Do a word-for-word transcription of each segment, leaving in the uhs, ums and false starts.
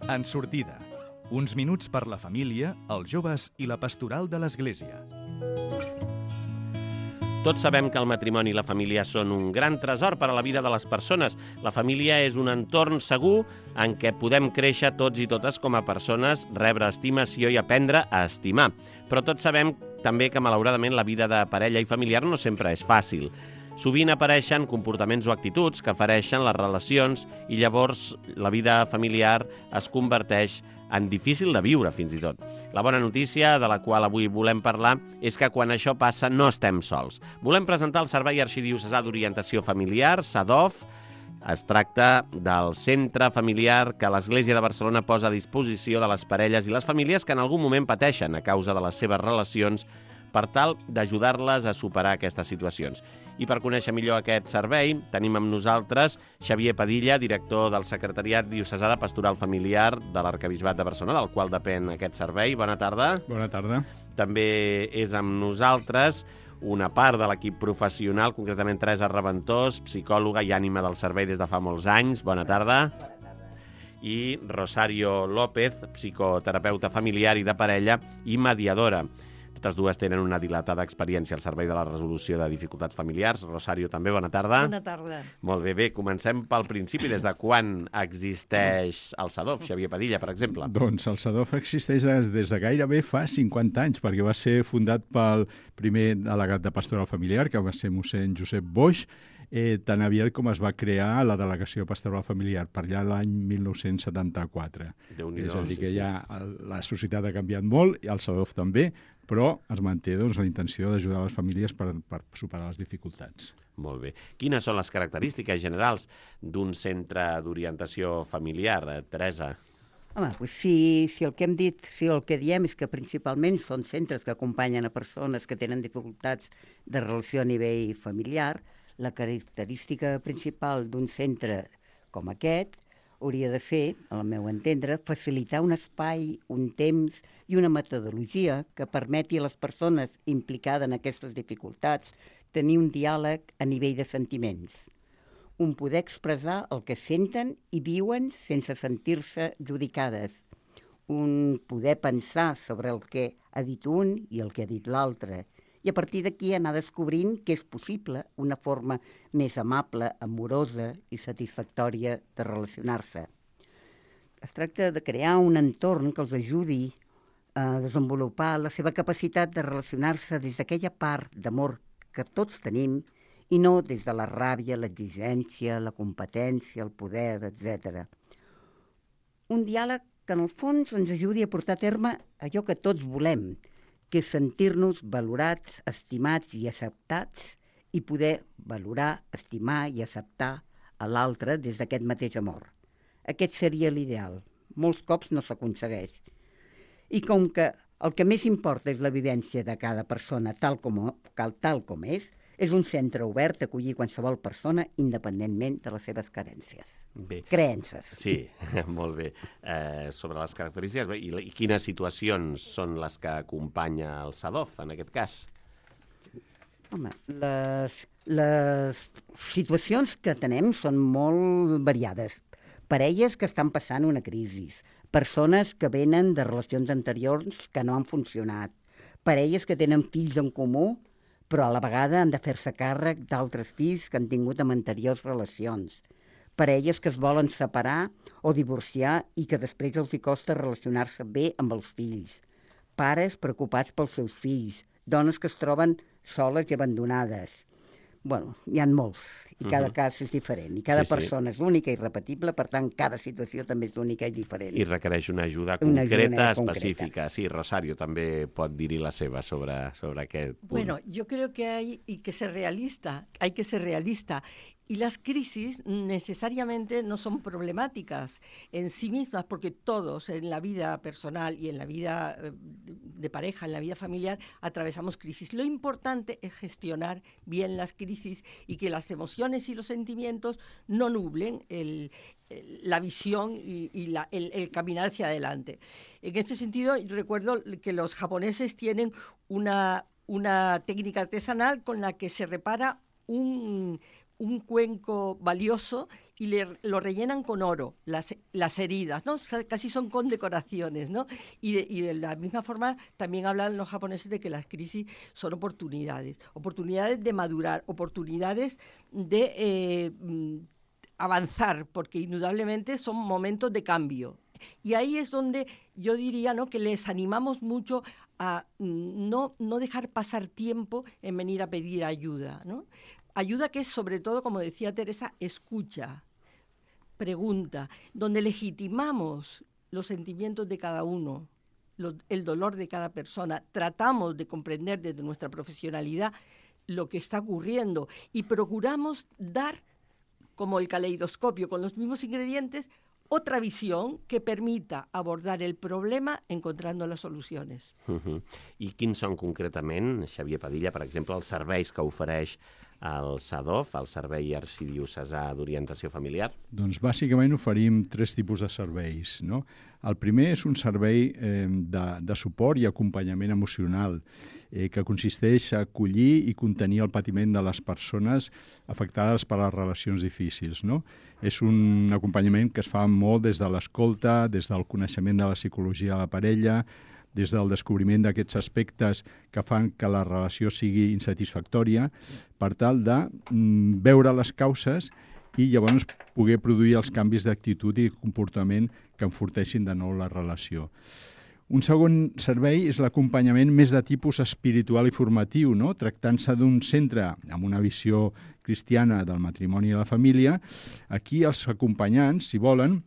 En sortida, uns minuts per la família, els joves i la pastoral de l'Església. Tots sabem que el matrimoni i la família són un gran tresor per a la vida de les persones. La família és un entorn segur en què podem créixer tots i totes com a persones, rebre estimació i aprendre a estimar. Però tots sabem també que, malauradament, la vida de parella i familiar no sempre és fàcil. Sovint apareixen comportaments o actituds que fereixen les relacions i llavors la vida familiar es converteix en difícil de viure, fins i tot. La bona notícia, de la qual avui volem parlar, és que quan això passa no estem sols. Volem presentar el Servei Arxidiocesà d'Orientació Familiar, S A D O F. Es tracta del centre familiar que l'Església de Barcelona posa a disposició de les parelles i les famílies que en algun moment pateixen a causa de les seves relacions per tal d'ajudar-les a superar aquestes situacions. I per conèixer millor aquest servei, tenim amb nosaltres Xavier Padilla, director del Secretariat Diocesà de Pastoral Familiar de l'Arquebisbat de Barcelona, del qual depèn aquest servei. Bona tarda. Bona tarda. També és amb nosaltres una part de l'equip professional, concretament Teresa Reventós, psicòloga i ànima del servei des de fa molts anys. Bona tarda. I Rosario López, psicoterapeuta familiar i de parella i mediadora. Totes dues tenen una dilatada experiència al servei de la resolució de dificultats familiars. Rosario, també, bona tarda. Bona tarda. Molt bé, bé, comencem pel principi. Des de quan existeix el S A D O F, Xavier Padilla, per exemple? Doncs el S A D O F existeix des, des de gairebé fa cinquanta anys, perquè va ser fundat pel primer delegat de Pastoral Familiar, que va ser mossèn Josep Boix, eh, tan aviat com es va crear la Delegació Pastoral Familiar, per allà l'any mil nou-cents setanta-quatre. Déu-n'hi-do, és a dir, sí, que sí. ja la societat ha canviat molt, i el S A D O F també, però es manté doncs, la intenció d'ajudar les famílies per, per superar les dificultats. Molt bé. Quines són les característiques generals d'un centre d'orientació familiar, eh, Teresa? Home, doncs si, si el que hem dit, si el que diem és que principalment són centres que acompanyen a persones que tenen dificultats de relació a nivell familiar, la característica principal d'un centre com aquest hauria de ser, al meu entendre, facilitar un espai, un temps i una metodologia que permeti a les persones implicades en aquestes dificultats tenir un diàleg a nivell de sentiments, un poder expressar el que senten i viuen sense sentir-se judicades, un poder pensar sobre el que ha dit un i el que ha dit l'altre, i a partir d'aquí anar descobrint que és possible una forma més amable, amorosa i satisfactòria de relacionar-se. Es tracta de crear un entorn que els ajudi a desenvolupar la seva capacitat de relacionar-se des d'aquella part d'amor que tots tenim i no des de la ràbia, l'exigència, la competència, el poder, etcètera. Un diàleg que en el fons ens ajudi a portar a terme allò que tots volem, que és sentir-nos valorats, estimats i acceptats i poder valorar, estimar i acceptar a l'altre des d'aquest mateix amor. Aquest seria l'ideal. Molts cops no s'aconsegueix. I com que el que més importa és la vivència de cada persona tal com, tal com és, és un centre obert a acollir qualsevol persona independentment de les seves carències. Bé. Creences. Sí, molt bé. Eh, sobre les característiques, i, i quines situacions són les que acompanya el S A D O F, en aquest cas? Home, les, les situacions que tenem són molt variades. Parelles que estan passant una crisi, persones que venen de relacions anteriors que no han funcionat, parelles que tenen fills en comú, però a la vegada han de fer-se càrrec d'altres fills que han tingut amb anteriors relacions, parelles que es volen separar o divorciar i que després els hi costa relacionar-se bé amb els fills, pares preocupats pels seus fills, dones que es troben soles i abandonades. Bueno, hi ha molts, i cada uh-huh. cas és diferent, i cada sí, persona sí. és única i irrepetible, per tant, cada situació també és única i diferent. I requereix una ajuda una concreta, ajuda específica. Concreta. Sí, Rosario també pot dir-hi la seva sobre, sobre aquest punt. Bueno, yo creo que hay y que ser realista, hay que ser realista. Y las crisis necesariamente no son problemáticas en sí mismas, porque todos en la vida personal y en la vida de pareja, en la vida familiar, atravesamos crisis. Lo importante es gestionar bien las crisis y que las emociones y los sentimientos no nublen el, el, la visión y, y la, el, el caminar hacia adelante. En este sentido, recuerdo que los japoneses tienen una, una técnica artesanal con la que se repara un un cuenco valioso y le, lo rellenan con oro, las, las heridas, ¿no? Casi son condecoraciones, ¿no? Y de, y de la misma forma también hablan los japoneses de que las crisis son oportunidades, oportunidades de madurar, oportunidades de eh, avanzar, porque indudablemente son momentos de cambio. Y ahí es donde yo diría, ¿no?, que les animamos mucho a no, no dejar pasar tiempo en venir a pedir ayuda, ¿no? Ayuda que es, sobre todo, como decía Teresa, escucha, pregunta, donde legitimamos los sentimientos de cada uno, los, el dolor de cada persona, tratamos de comprender desde nuestra profesionalidad lo que está ocurriendo y procuramos dar, como el caleidoscopio, con los mismos ingredientes, otra visión que permita abordar el problema encontrando les solucions. Uh-huh. I quins són concretament, Xavier Padilla, per exemple, els serveis que ofereix el SADOF, el Servei Arxidiocesà d'Orientació Familiar? Doncs bàsicament oferim tres tipus de serveis, no? El primer és un servei eh, de, de suport i acompanyament emocional eh, que consisteix a acollir i contenir el patiment de les persones afectades per les relacions difícils, no? És un acompanyament que es fa molt des de l'escolta, des del coneixement de la psicologia de la parella, des del descobriment d'aquests aspectes que fan que la relació sigui insatisfactòria, per tal de mm, veure les causes i llavors poder produir els canvis d'actitud i comportament que enforteixin de nou la relació. Un segon servei és l'acompanyament més de tipus espiritual i formatiu, no? Tractant-se d'un centre amb una visió cristiana del matrimoni i la família. Aquí els acompanyants, si volen,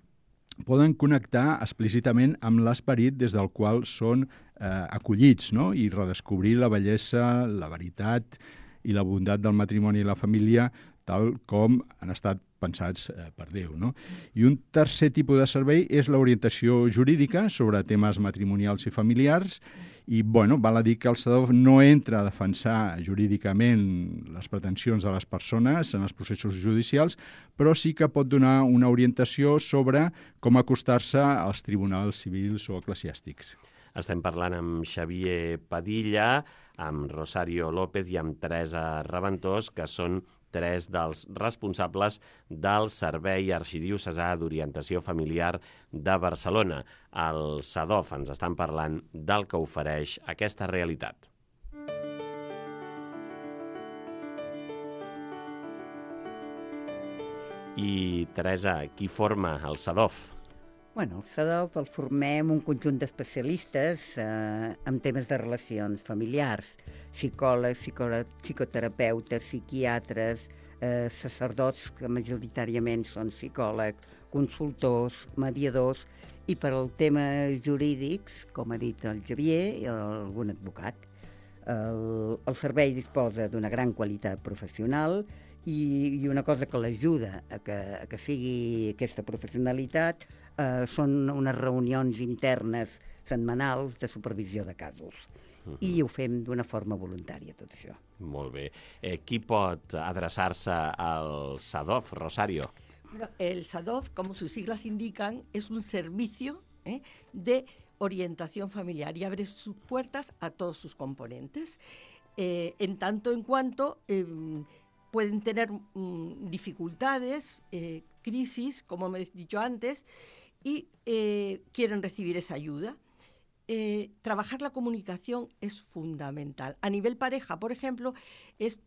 poden connectar explícitament amb l'esperit des del qual són eh, acollits, no? I redescobrir la bellesa, la veritat i la bondat del matrimoni i la família tal com han estat pensats eh, per Déu, no? I un tercer tipus de servei és l'orientació jurídica sobre temes matrimonials i familiars i, bueno, val a dir que el SADOF no entra a defensar jurídicament les pretensions de les persones en els processos judicials, però sí que pot donar una orientació sobre com acostar-se als tribunals civils o eclesiàstics. Estem parlant amb Xavier Padilla, amb Rosario López i amb Teresa Raventós, que són tres dels responsables del Servei Arxidiocesà d'Orientació Familiar de Barcelona. El SADOF ens estan parlant del que ofereix aquesta realitat. I, Teresa, qui forma el SADOF? Bueno, el SADOF el formem un conjunt d'especialistes eh, en temes de relacions familiars, psicòlegs, psicoterapeutes, psiquiatres, eh, sacerdots, que majoritàriament són psicòlegs, consultors, mediadors, i per al tema jurídics, com ha dit el Xavier, algun advocat. El, el servei disposa d'una gran qualitat professional i, i una cosa que l'ajuda a que, a que sigui aquesta professionalitat eh, són unes reunions internes setmanals de supervisió de casos. Uh-huh. I ho fem d'una forma voluntària, tot això. Molt bé. Eh, qui pot adreçar-se al SADOF, Rosario? Bueno, el SADOF, como sus siglas indican, es un servicio ¿eh? de orientación familiar y abre sus puertas a todos sus componentes, eh, en tanto en cuanto eh, pueden tener mm, dificultades, eh, crisis, como me he dicho antes, y eh, quieren recibir esa ayuda. Eh, trabajar la comunicación es fundamental. A nivel pareja, por ejemplo, es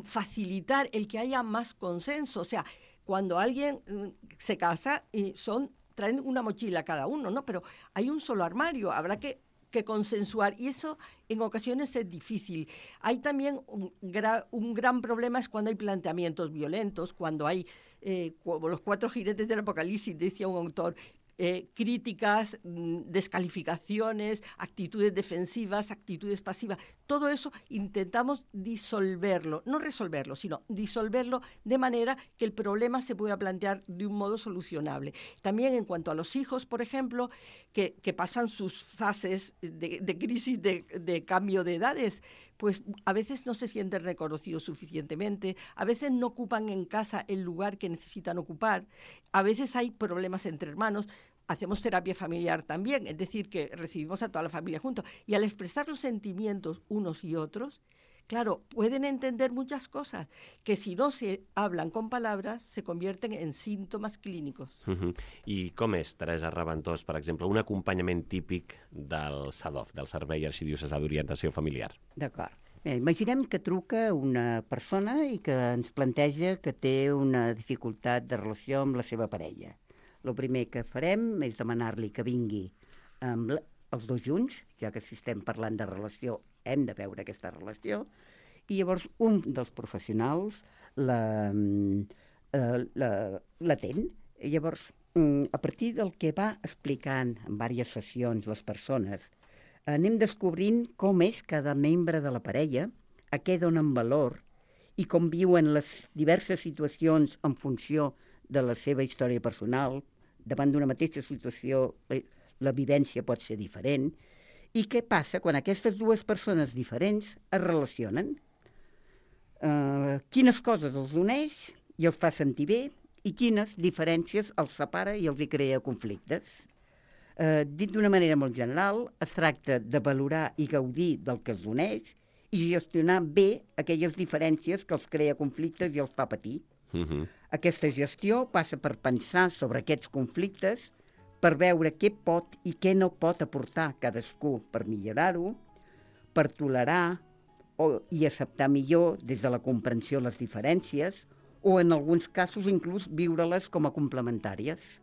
facilitar el que haya más consenso. O sea, cuando alguien mm, se casa y son traen una mochila cada uno, ¿no? Pero hay un solo armario, habrá que, que consensuar y eso en ocasiones es difícil. Hay también un, gra, un gran problema es cuando hay planteamientos violentos, cuando hay, eh, como los cuatro jinetes del Apocalipsis, decía un autor, Eh, críticas, descalificaciones, actitudes defensivas, actitudes pasivas. Todo eso intentamos disolverlo, no resolverlo, sino disolverlo de manera que el problema se pueda plantear de un modo solucionable. También en cuanto a los hijos, por ejemplo, que, que pasan sus fases de, de crisis de, de cambio de edades, pues a veces no se sienten reconocidos suficientemente, a veces no ocupan en casa el lugar que necesitan ocupar, a veces hay problemas entre hermanos. Hacemos terapia familiar también, es decir, que recibimos a toda la familia juntos. Y al expresar los sentimientos unos y otros, claro, pueden entender muchas cosas que si no se hablan con palabras se convierten en síntomas clínicos. Uh-huh. I com és, Teresa Raventós, per exemple, un acompanyament típic del S A D O F, del Servei Arxidiocesà d'Orientació Familiar? D'acord. Bé, imaginem que truca una persona i que ens planteja que té una dificultat de relació amb la seva parella. El primer que farem és demanar-li que vingui amb la, els dos junts, ja que si estem parlant de relació hem de veure aquesta relació, i llavors un dels professionals la, eh, la, l'atén. I llavors, a partir del que va explicant en diverses sessions les persones, anem descobrint com és cada membre de la parella, a què donen valor i com viuen les diverses situacions en funció de la seva història personal. Davant d'una mateixa situació la vivència pot ser diferent. I què passa quan aquestes dues persones diferents es relacionen? Uh, quines coses els uneix i els fa sentir bé i quines diferències els separa i els hi crea conflictes? Uh, dit d'una manera molt general, es tracta de valorar i gaudir del que els uneix i gestionar bé aquelles diferències que els crea conflictes i els fa patir. Uh-huh. Aquesta gestió passa per pensar sobre aquests conflictes, per veure què pot i què no pot aportar cadascú per millorar-ho, per tolerar o, i acceptar millor des de la comprensió les diferències o, en alguns casos, inclús viure-les com a complementàries.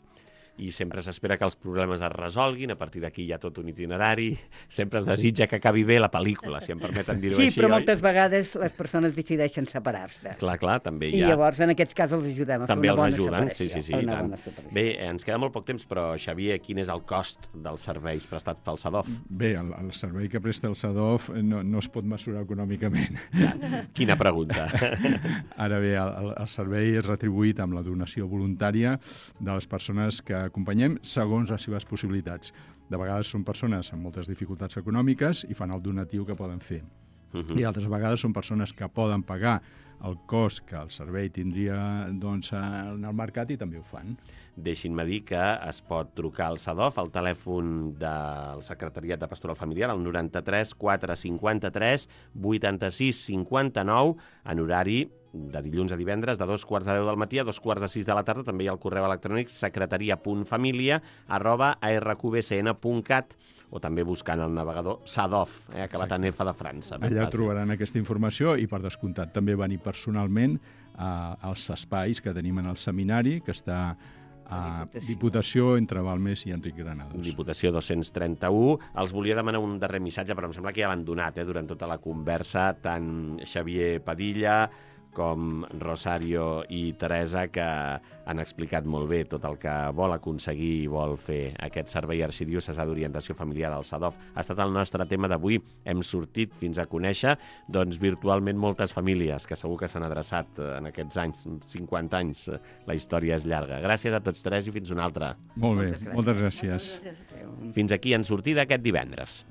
I sempre s'espera que els problemes es resolguin, a partir d'aquí hi ha tot un itinerari, sempre es desitja que acabi bé la pel·lícula, si em permeten dir-ho sí, així. Sí, però oi? moltes vegades les persones decideixen separar-se. Clar, clar, també hi ha... I llavors en aquests casos els ajudem a també fer una bona ajuden. separació. Sí, sí, sí, i tant. Bé, ens queda molt poc temps, però Xavier, quin és el cost dels serveis prestats pel S A D O F? Bé, el, el servei que presta el S A D O F no, no es pot mesurar econòmicament. Ja, quina pregunta. Ara bé, el, el servei és retribuït amb la donació voluntària de les persones que acompanyem segons les seves possibilitats. De vegades són persones amb moltes dificultats econòmiques i fan el donatiu que poden fer. Uh-huh. I altres vegades són persones que poden pagar el cost que el servei tindria doncs, en el mercat i també ho fan. Deixin-me dir que es pot trucar al S A D O F al telèfon del Secretariat de Pastoral Familiar, al noranta-tres quatre cinquanta-tres vuitanta-sis cinquanta-nou, en horari de dilluns a divendres, de dos quarts de deu del matí a dos quarts de sis de la tarda. També hi ha el correu electrònic secretaria punt família arroba a erre cu be ce ene punt cat o també buscant el navegador S A D O F, eh, acabat en F de França. Allà trobaran aquesta informació i, per descomptat, també venir personalment a, als espais que tenim en el seminari, que està a Diputació entre Balmes i Enric Granados. Diputació dos-cents trenta-u. Els volia demanar un darrer missatge, però em sembla que ja l'han donat eh, durant tota la conversa, tant Xavier Padilla com Rosario i Teresa, que han explicat molt bé tot el que vol aconseguir i vol fer aquest Servei Arxidiocesà d'Orientació Familiar al S A D O F. Ha estat el nostre tema d'avui. Hem sortit fins a conèixer doncs, virtualment moltes famílies que segur que s'han adreçat en aquests anys, cinquanta anys. La història és llarga. Gràcies a tots tres i fins una altra. Molt bé, moltes gràcies. Moltes gràcies. Fins aquí en sortida aquest divendres.